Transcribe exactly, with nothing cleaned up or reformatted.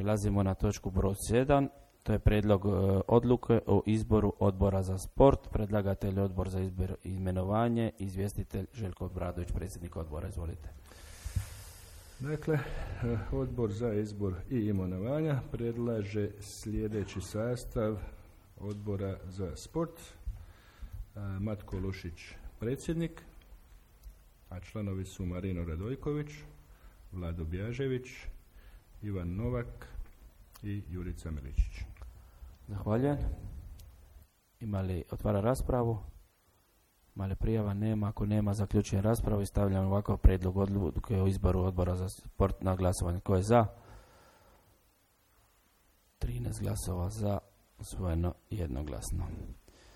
Prelazimo na točku broj sedam. To je prijedlog e, odluke o izboru odbora za sport. Predlagatelj odbor za izbor i imenovanje. Izvjestitelj Željko Obradović, predsjednik odbora. Izvolite. Dakle, odbor za izbor i imenovanja predlaže sljedeći sastav odbora za sport. Matko Lušić, predsjednik, a članovi su Marino Radojković, Vlado Bjažević, Ivan Novak i Jurica Miličić. Zahvaljujem. Ima li otvara raspravu? Ima li prijava? Nema. Ako nema, zaključujem raspravu i stavljam ovakav prijedlog odluke o izboru odbora za sport na glasovanje. Ko je za? trinaest glasova za, usvojeno jednoglasno.